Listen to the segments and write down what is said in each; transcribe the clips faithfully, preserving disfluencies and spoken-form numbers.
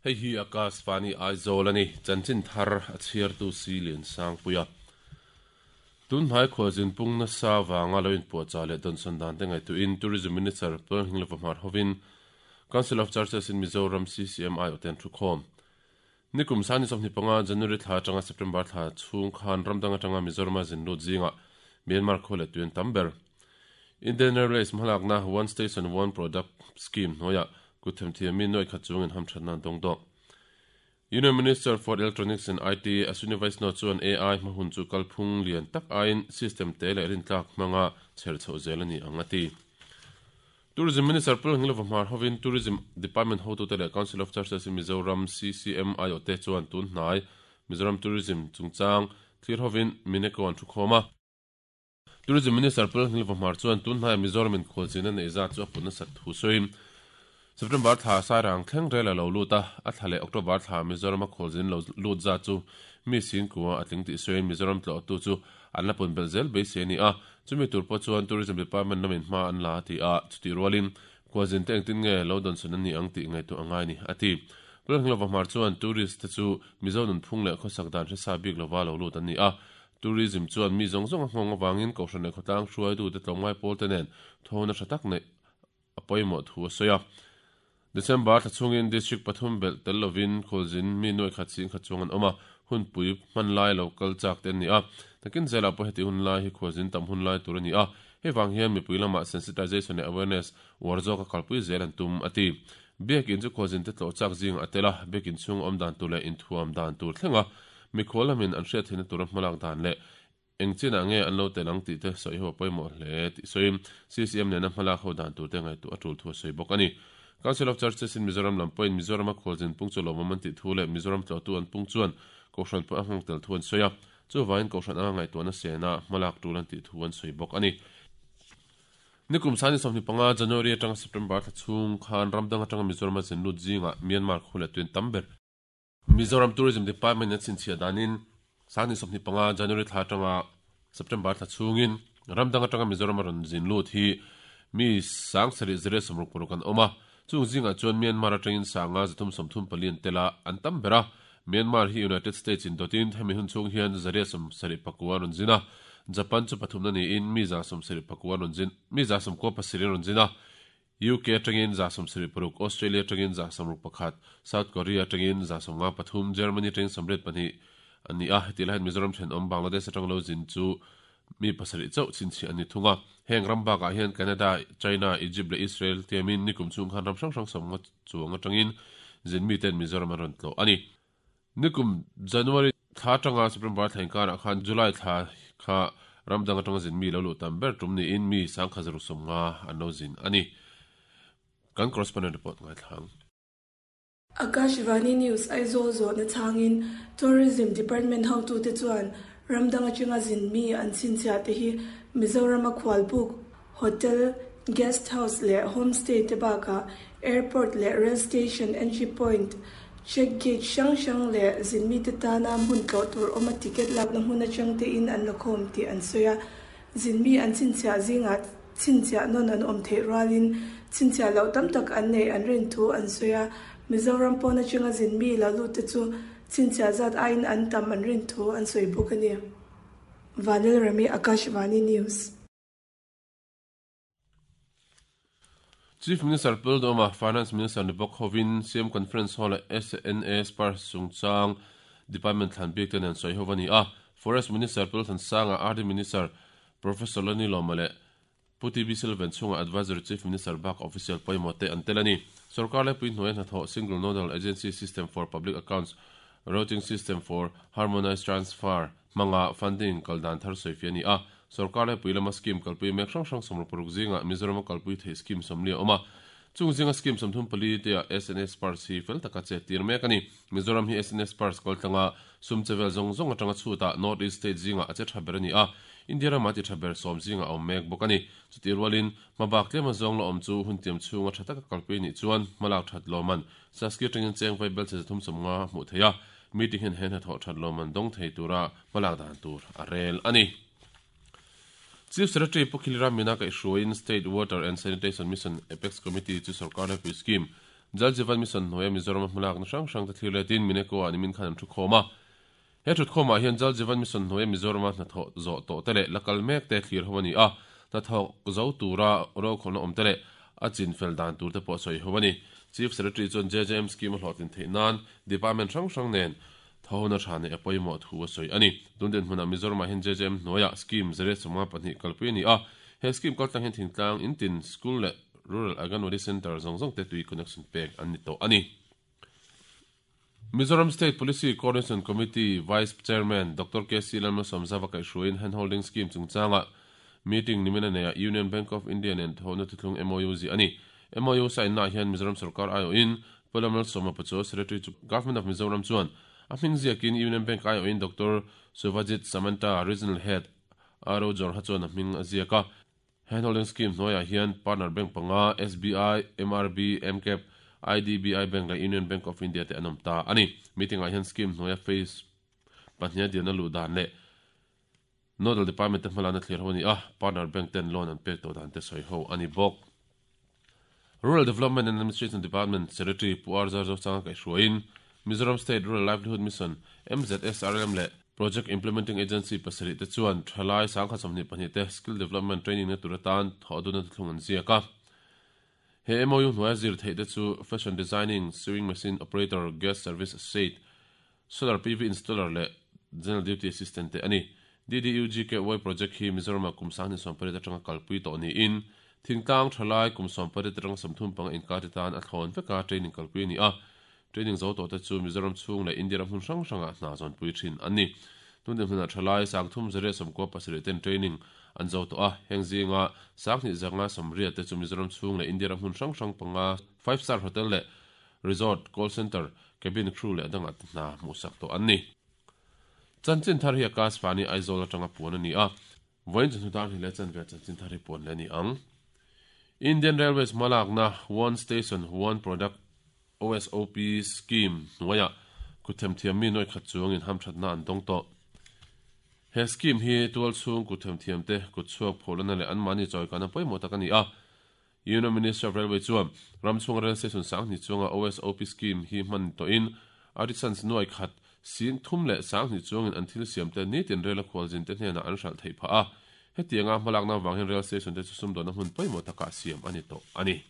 Hei hi Akashvani Aizawl ani chanchin thar a chhiartu si lian sang puia. Tun hnai khualzin pung nasa wanga lo in puahchah leh dawnsawn dan te ngaihtuahin Tourism Minister Lalnghinglova Hmar hovin Council of Churches in Mizoram C C M I aw ten thukhawm. Nikum sani sawmhnih panga January thla atanga September thla chhung khan ramdang atanga Mizorama zin lut zinga Myanmar khaw leh tuian tam ber. Indian Railways hmalakna One Station One Product Scheme hnuaiah kutthemthiam mi nuai khat chungin hamthatna an dawng dawk. Union Minister for Electronics and I T Ashwini Vaishnaw chuan A I hmahun chu kalphung lian tak aiin system te leh rintlak hmanga chher chhoh zel a ni ang a ti. Tourism Minister Lalnghinglova Hmar hovin Tourism Department hotute leh Council of Churches in Mizoram C C M I aw te chuan tun hnai Mizoram Tourism chungchang thlir hovin Mineko an thukhawm a. Tourism Minister Lalnghinglova Hmar chuan tun hnai Mizoram in khualzin a neih zat chu a pun nasat thu sawiin September thla sairang thleng rel a lo lut a, a thla leh October thla Mizoram a khualzin lo lut zat chu mi sin kua a tling tih sawiin Mizoram tlawhtu chu an la pun belh zel beisei a ni a, chumi tur pawh chuan Tourism Department lamin hma an la ti a, chuti rualin khualzin te engtin nge lo dawnsawn an ni ang tih ngaihtuah a ngai ni a ti. Lalnghinglova Hmar chuan tourist te chu Mizo nunphung leh khawsak dan hresa bik lova lo lut an ni a, tourism chuan mi zawng zawng a nghawng avangin kohhran leh khawtlang hruaitu te tlawmngai pawl te nen thawhna tha tak neih a pawimawh thu a sawi a. December thla chungin district pathum belh tel lovin khualzin mi nuai khat sing khat chuang an awm a, hun pui hman lai lo kal chak te an ni a. Takin zela pawh heti hun lai hi khualzin tam hun lai tur a ni a, hei wang hian mipui lamah sensitization leh awareness uar zawk a kalpui zel an tum a ti. Biakin chu khualzin te tlawh chak zing a tel a, biakin chhung awm dan tur leh inthuam dan tur thlenga mikhual lamin an hriat theihna tura hmalak dan leh engchinah nge an lo tel ang tih te sawi ho a pawimawh hle tih sawiin C C M nena hmalak ho dan tur te ngaihtuah a tul thu a sawi bawk a ni. Council of Churches in Mizoram lampuiin Mizoram a khualzin pung chu lawmawm an tih thu leh Mizoram tlawhtu an pung chuan kohhran pawh a nghawng tel thu an sawi a, chuvain kohhran anga ngaihtuahna sena hmalak tul an tih thu an sawi bawk a ni. Nikum sani sawmhnih panga January atanga September thla chhung khan ramdang atanga Mizoram a zin lut zinga Myanmar khaw leh tuian tam ber. Mizoram Tourism Department an chhinchhiah danin sani sawmhnih panga January thla atanga September thla chhungin ramdang atanga Mizoram a rawn zin lut hi mi sang sarih zere sawmruk paruk an awm a, chung zinga chuan Myanmar atangin sanga zathum sawmthum pali an tel a an tam ber a. Myanmar hi United States in dotin hemi hun chung hian zare sawm sarih pakua rawn zin a, Japan chu pathumna niin mi za sawm sarih pakua rawn zin mi za sawm kua pasarih rawn zin a, U K atangin za sawm sarih paruk, Australia atangin za sawmruk pakhat, South Korea atangin za sawm nga pathum, Germany atangin sawmriat pahnih an ni a, heti lahin Mizoram thenawm Bangladesh atang lo zin chu mi pasarih chauh chhinchhiah an ni thung a. Heng ram bakah hian Canada, China, Egypt leh Israel tiamin nikum chung khan ram hrang hrang sawm nga chuang atangin zin mi ten Mizoram an rawn tlawh a ni. Nikum January thla atanga September thla inkarah khan July thla kha ramdang atanga zin mi lo luh tam ber tum niin mi sangkha zaruk sawm nga an lo zin a ni. Kan correspondent report ngai thlang. Akashvani News Aizawl zawhna changin Tourism Department hotu te chuan ramdang atanga zin mi an chhinchhiah te hi Mizoram a khualbuk, hotel, guest house leh homestay te bakah airport leh rail station entry point, check gate hrang hrang leh zin mi te tana hmun tlawh tur awm a ticket lakna hmun atang te in an la khawm tih an sawi a. Zin mi an chhinchhiah zingah chhinchhiah nawn an awm theih rualin chhinchhiah loh tam tak an nei an rin thu an sawi a. Mizoram pawn atanga zin mi lo lut te chu chhinchhiah zat aiin an tam an rin thu an sawi bawk a ni. Vanil Rami, Akashvani News. Chief Minister Lalduhoma, Finance Minister ni bawk hovin C M Conference Hall leh S N A Spurs chungchang Department thlan bik te nen sawi ho a ni a. Forest Minister Lalthansanga, R D Minister Professor Lani Lawma leh Puti B Silvan chunga Advisory Chief Minister bak official pawimawh te an tel a ni. Sarkar leh pui hnuai hnathawh Single Nodal Agency System for Public Accounts Routing System for Harmonized Transfer hmanga funding kaldan thar sawi fi a ni a. Sarkar leh pui lama scheme kalpui mek hrang hrang sawmruk paruk zinga Mizoram a kalpui thei scheme sawmli a awm a. Chung zinga scheme sawmthum pali te a S N A Spurs hi fel taka che tir mek a ni. Mizoram hi S N A Spurs kaltlanga sum chevel zawng zawng atanga chhuta North East State zinga a che tha ber a ni a. India rama ti tha ber sawm zinga a awm mek bawk a ni. Chuti rualin hmabak tlema zawng la awm chu hun tiam chhunga tha taka kalpui ni chuan hmalak that lawman saski atangin cheng vai bel che zathum sawm nga hmuh thei a. Meeting hian hen hnathawh that lawman dawng thei tura hmalak dan tur a rel a ni. Chief Secretary Pukhilira Mina kaihhruaiin State Water and Sanitation Mission Apex Committee chu sarkar lepui scheme Jal Jeevan Mission hnuaia Mizoram hmalak na hrang hrang te thlir letin Mineko ah nimin khan an thu khawm a. He thut khawm ah hian Jal Jeevan Mission hnuaia Mizoram hnathawh zawh tawh te leh lakal mek te thlir ho ani a. Hnathawk zo tura ro khawlna awm te leh a chin fel dan tur te pawh sawi ho ani. Chief Secretary chuan J J M scheme a hlawhtlin theih nan department hrang hrang nen thawhna tha nei a pawimawh thu a sawi ani. Tun den hmunah Mizoram ah hian J J M hnuaia scheme zere sawmnga pahnih kalpui ani a. He scheme kaltlang hian thingtlang intin school leh Rural Anganwadi Center zong zong te tui connection pek an ni tawh ani. Mizoram State Policy Coordination Committee Vice Chairman Doctor K C Lalmalsawmzauva kaihhruaiin handholding scheme chungchanga meeting nimina neia Union Bank of India nen thawhna thuthlung M O U zi ani. M O U sign na hian Mizoram Sarkar I O in Pu Lalmalsawma Pachuau Secretary chu Government of Mizoram chuan a hming ziakin Union Bank I O in Doctor Suvajit Samanta Regional Head R O Jorha chuan a hming a ziaka. Handholding scheme hnuaiah hian partner bank panga S B I, M R B, M C A P, I D B I Bank leh Union Bank of India te an awm ta ani. Meeting ah hian scheme hnuaia phase pahnih dian a luh dan leh Nodal Department te hmalana thlir ho ani a. Partner bank ten loan an pek tawh dan te sawi ho ani bawk. Rural Development and Administration Department Secretary Pu R Zar Zosanga kaihhruaiin Mizoram State Rural Livelihood Mission M Z S R M leh Project Implementing Agency pasarih te chuan thalai sangkhat sawmhnih pahnih te skill development training na tur atan thawh duna thlung an ziak a. He M O U hnuaia zir theih te chu fashion designing, sewing machine operator, guest service associate, solar P V installer leh general duty assistant te ani. D D U G K Y project hi Mizoram ah kum sang ni sawmparit atanga kalpui tawh niin thingtlang thalai kum sawmparit atanga sawmthum panga inkar te tan a thlawn veka training kalpui ani a. Training zo tawh te chu Mizoram chhung leh India ram hmun hrang hrangah hna zawn pui thin ani. Tun din hmunah thalai sangthum zare sawmkua pasarih ten training an zo tawh a. Heng zinga sanghnih zanga sawmriat te chu Mizoram chhung leh India ram hmun hrang hrang panga five star hotel leh resort, call center, cabin crew leh dangah te hna hmuhsak tawh an ni. Chanchin thar hi Akashvani Aizawl atanga puan ani a. Vawiin chu hnutar hi leh chan ve chanchin thar hi puan le ni ang. Indian Railways hmalakna One Station One Product O S O P scheme hnuaia kuthem thiam mi noi khat chuangin hamthatna an dawng tawh. He scheme hi tual chhung kuthem thiam te kutchhuak pholana leh an mani chawi kana pawimawh tak ani a. Union Ministry of Railway chuan ramchhung rail station sanghnih chunga O S O P scheme hi hman tawhin artisans nuai khat sin thum leh sanghnih chuangin an thil siam te nitin rail a khualzin te hnenah an hralh theih phah a. Hetianga hmalakna wang hian rail station te chu sumdawn a hmun pawimawh takah siam ani tawh ani.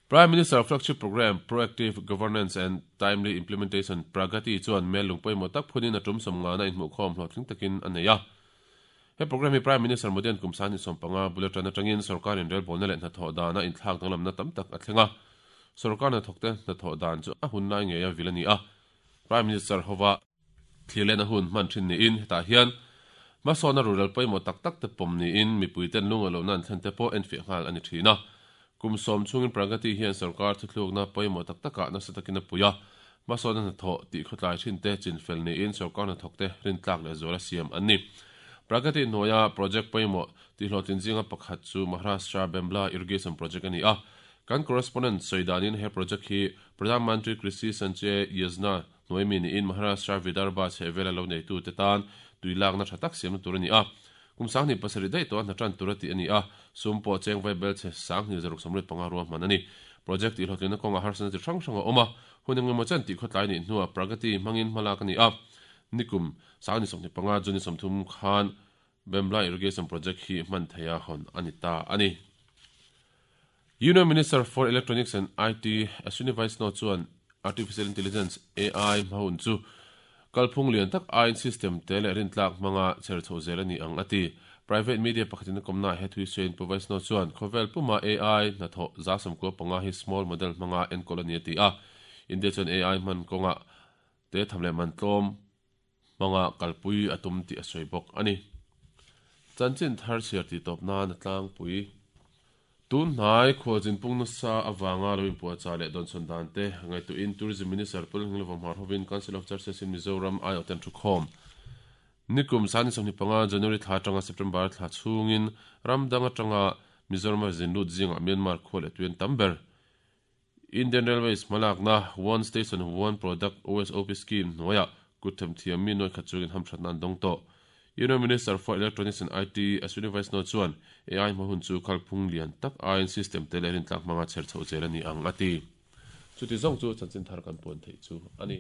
Prime Minister Flagship Program Proactive Governance and Timely Implementation Pragati chuan mel lung pawimawh tak phunin a tum sawmnga na inhmuh khawm hlawhtling takin a nei a. He program hi Prime Minister Modi an kum sani sawmpanga bulletin atangin sarkarin rail bawlna leh hnathawh dana inthlak danglamna tam tak a thleng a. Sarkar hnathawk te hnathawh dan chu a hun lai ngei a vil ani a. Prime Minister howa thlir lehna hun hman thin niin hetah hian hmasawna rural pawimawh tak tak te pawm niin mipui ten lung a lohna an thlen te pawh en fiah nghal ani thin a. Kum sawm chungin Pragati hian sarkar thuthlukna pawimawh tak takah nasa takin a pui a. Hmasawna hnathawh tih khawtlai thin te chin fel niin sarkar hnathawk te rintlak leh zual a siam an ni. Pragati hnuaia project pawimawh tih hlawhtlin zinga pakhat chu Maharashtra Bembla Irrigation Project ani a. Kan correspondent sawidanin he project hi Pradhan Mantri Krishi Sichai Yojana hnuai mi niin Maharashtra Vidarbha chhehvela lo neitu te tan tuilakna tha tak siamna tur ani a. Kum sanghnih pasarih daih tawh a hnatran tur a tih ani a. Sum pawh cheng vai bel che sanghnih zaruk sawmriat panga ruah hman ani. Project tih hlawhtlinna kawnga harsana chi hrang hrang a awm a. Hun engemaw chen tih khawtlai nih hnuah Pragati hmangin hmalak ani a. Nikum sanghnih sawmhnih panga June sawmthum khan Bembla Irrigation Project hi hman theia hawn ani ta ani. Union Minister for Electronics and I T Ashwini Vaishnaw chuan Artificial Intelligence A I hmahun chu kalphung lian tak A I system te leh rintlak hmanga cher chho zel ani ang ati. Private media pakhatin a kawmna he thui sawiin Pu Vaishnaw chuan khawvel puma A I hnathawh za sawmkua panga hi small model hmanga enkawl ani ati a. India chuan A I hman kawnga te thamleh man tlawm hmanga kalpui a tum tih a sawi bawk ani. Chanchin thar chhiar tih tawp nan a tlangpui. Tun hnai khualzin pung nasa awanga lo inpuahchah leh dawnsawn dan te ngaihtuahin Tourism Minister Pu Lalngilova Hmar hovin Council of Churches in Mizoram ai awh ten thu khawm. Nikum sani sawmhnih panga January thla atanga September thla chhungin ramdang atanga Mizoram a zin lut zingah Myanmar khual leh tuian tam ber. Indian Railways hmalakna One Station One Product O S O P scheme hnuaiah kuthem thiam mi nuai khat chungin hamthatna an dawng tawh. Union Minister for Electronics and I T Ashwini Vaishnaw chuan A I hmahun chu khalphung lian tak A I system te leh rintlak hmanga cher chho zel ani ang ati. Chuti zawng chu chanchin thar kan puan theih chu a ni.